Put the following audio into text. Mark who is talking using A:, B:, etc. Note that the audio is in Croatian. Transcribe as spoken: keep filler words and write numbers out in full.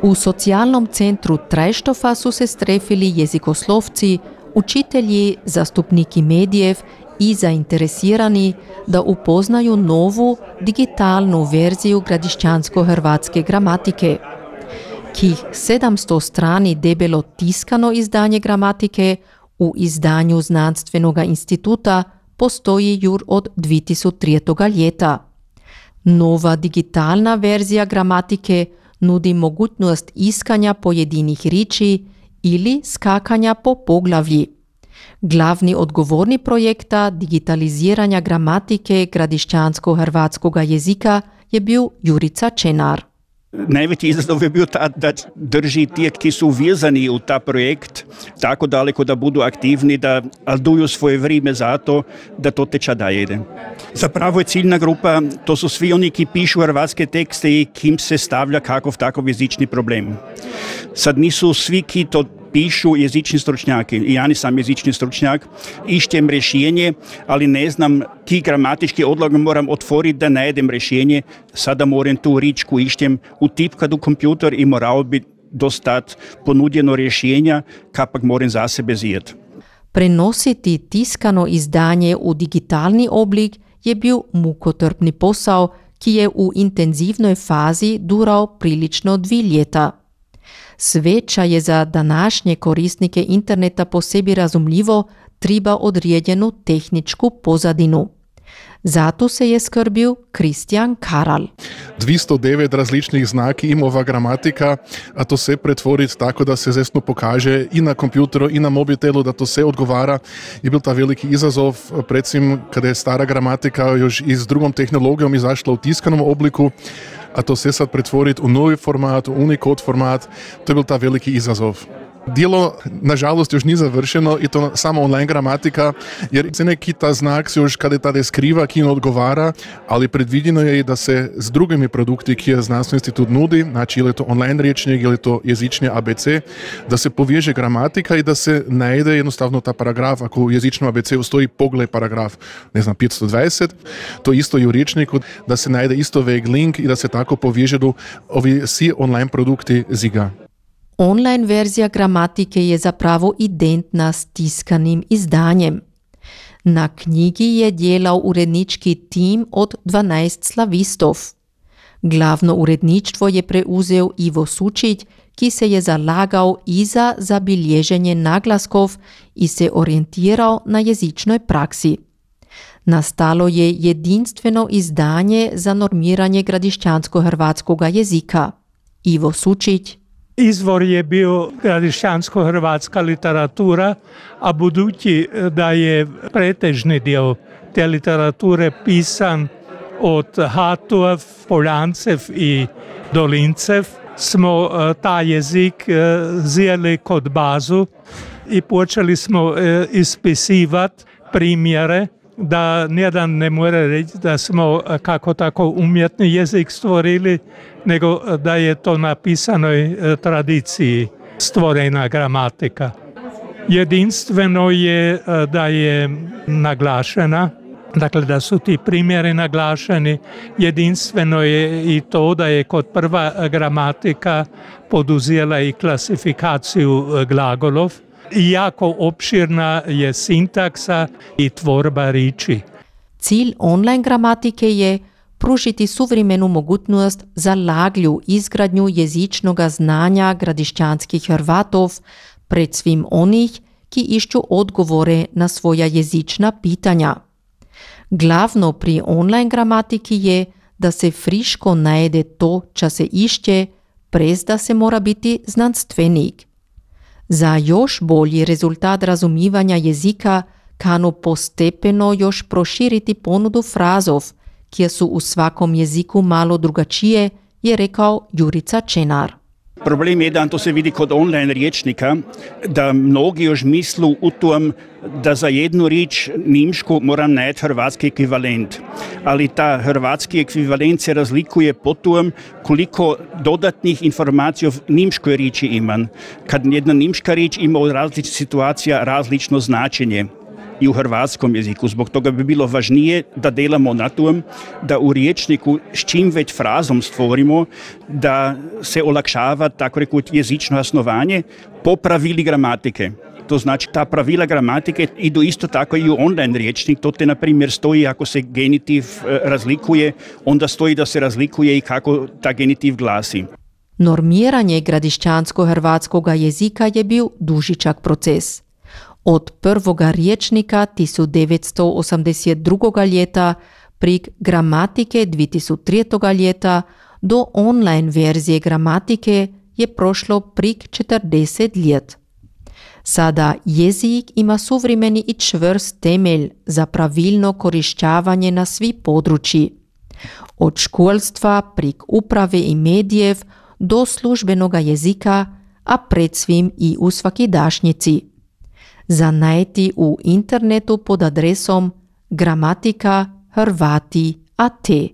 A: U socijalnom centru Trajštofa su se strefili jezikoslovci, učitelji, zastupniki medijev i zainteresirani da upoznaju novu digitalnu verziju gradišćansko-hrvatske gramatike. Kih sedamsto strani debelo tiskano izdanje gramatike u izdanju Znanstvenog instituta postoji jur od dvije tisuće trijetog ljeta. Nova digitalna verzija gramatike nudi mogućnost iskanja pojedinih riči ili skakanja po poglavlji. Glavni odgovorni projekta digitaliziranja gramatike gradišćansko-hrvatskog jezika je bio Jurica Čenar.
B: Najveći izazov je bio ta da drži tijek ki su vezani u ta projekt tako daleko da budu aktivni, da alduju svoje vrijeme za to da to teče dalje ide. Zapravo je ciljna grupa, to su svi oni ki pišu hrvatske tekste i kim se stavlja kakov takav jezični problem. Sad nisu svi ki to pišu jezični stručnjaki. I ja nisam jezični stručnjak. Išćem rješenje, ali ne znam ki gramatički odlog moram otvoriti da najdem rješenje. Sada moram tu ričku išćem utipkat u kompjuter i morao bi dostat ponudjeno rješenja kapak moram za sebe zijet.
A: Prenositi tiskano izdanje u digitalni oblik je bio mukotrpni posao ki je u intenzivnoj fazi durao prilično dvi ljeta. Sveća je za današnje korisnike interneta po sebi razumljivo treba odrijedjenu tehničku pozadinu. Zato se je skrbio Kristjan Karal.
C: dvesto devet različnih znaki ima ova gramatika, a to se pretvoriti tako da se zesno pokaže i na kompjuteru i na mobitelu, da to se odgovara. Je bil ta veliki izazov, predvsem kada je stara gramatika još i s drugom tehnologijom izašla u tiskanom obliku, a to se sad pretvoriti u novi format, u Unicode format, to je bil ta veliki izazov. Djelo, nažalost, još nije završeno i to samo online gramatika, jer se neki ta znak se još kada je tada skriva, ki ne odgovara, ali predvidjeno je i da se s drugimi produkti, ki je Znanstveni institut nudi, znači ili je to online rječnik ili je to jezični A B C, da se poveže gramatika i da se najde jednostavno ta paragraf, ako u jezičnom A B C-u stoji pogled paragraf, ne znam, petsto dvadeset, to isto i u rječniku, da se najde isto veg link i da se tako povežu ovi svi online produkti ziga.
A: Online verzija gramatike je zapravo identna s tiskanim izdanjem. Na knjigi je djelao urednički tim od dvanaest slavistov. Glavno uredništvo je preuzeo Ivo Sučić, ki se je zalagao i za zabilježenje naglaskov i se orijentirao na jezičnoj praksi. Nastalo je jedinstveno izdanje za normiranje gradišćansko-hrvatskog jezika. Ivo Sučić.
D: Izvor je bio gradišćansko-hrvatska literatura, a budući da je pretežni dio te literature pisan od Hatov, Poljancev i Dolincev, smo taj jezik zjeli kod bazu i počeli smo ispisivati primjere, da nijedan ne mora reći da smo kako tako umjetni jezik stvorili, nego da je to na pisanoj tradiciji stvorena gramatika. Jedinstveno je da je naglašena, dakle da su ti primjeri naglašeni. Jedinstveno je i to da je kod prva gramatika poduzela i klasifikaciju glagolov. Jako opširna je sintaksa i tvorba riči.
A: Cilj online gramatike je pružiti suvremenu mogućnost za laglju izgradnju jezičnog znanja gradišćanskih Hrvatov pred svim onih ki išću odgovore na svoja jezična pitanja. Glavno pri online gramatiki je da se friško najede to ča se išće, prez da se mora biti znanstvenik. Za još bolji rezultat razumijevanja jezika kanu postepeno još proširiti ponudu frazov, kje su u svakom jeziku malo drugačije, je rekao Jurica Čenar.
B: Problem je da to se vidi kod online rječnika, da mnogi još mislu u tom da za jednu riječ nimšku moram najeti hrvatski ekvivalent. Ali ta hrvatski ekvivalent se razlikuje po tom koliko dodatnih informacija u nimškoj riječi imam. Kad jedna nimška riječ ima u različitih situacija različno značenje. i u hrvatskom jeziku. Zbog toga bi bilo važnije da delamo na tom, da u riječniku s čim već frazom stvorimo, da se olakšava, tako rekut, jezično osnovanje po pravili gramatike. To znači, ta pravila gramatike idu isto tako i u online riječnik. To te, na primjer, stoji ako se genitiv razlikuje, onda stoji da se razlikuje i kako ta genitiv glasi.
A: Normiranje gradišćansko-hrvatskoga jezika je bio dužičak proces. Od prvoga riječnika tisíc deväťsto osemdesiatdva. ljeta prek gramatike dve tisíc tri. ljeta do online verzije gramatike je prošlo prek četrdeset let. Sada jezik ima suvremeni i čvrst temelj za pravilno korišćavanje na svi područji. Od školstva prek uprave i medijev do službenoga jezika, a pred svim i u svakidašnjici. Zanajti u internetu pod adresom gramatika hrvati dot a t.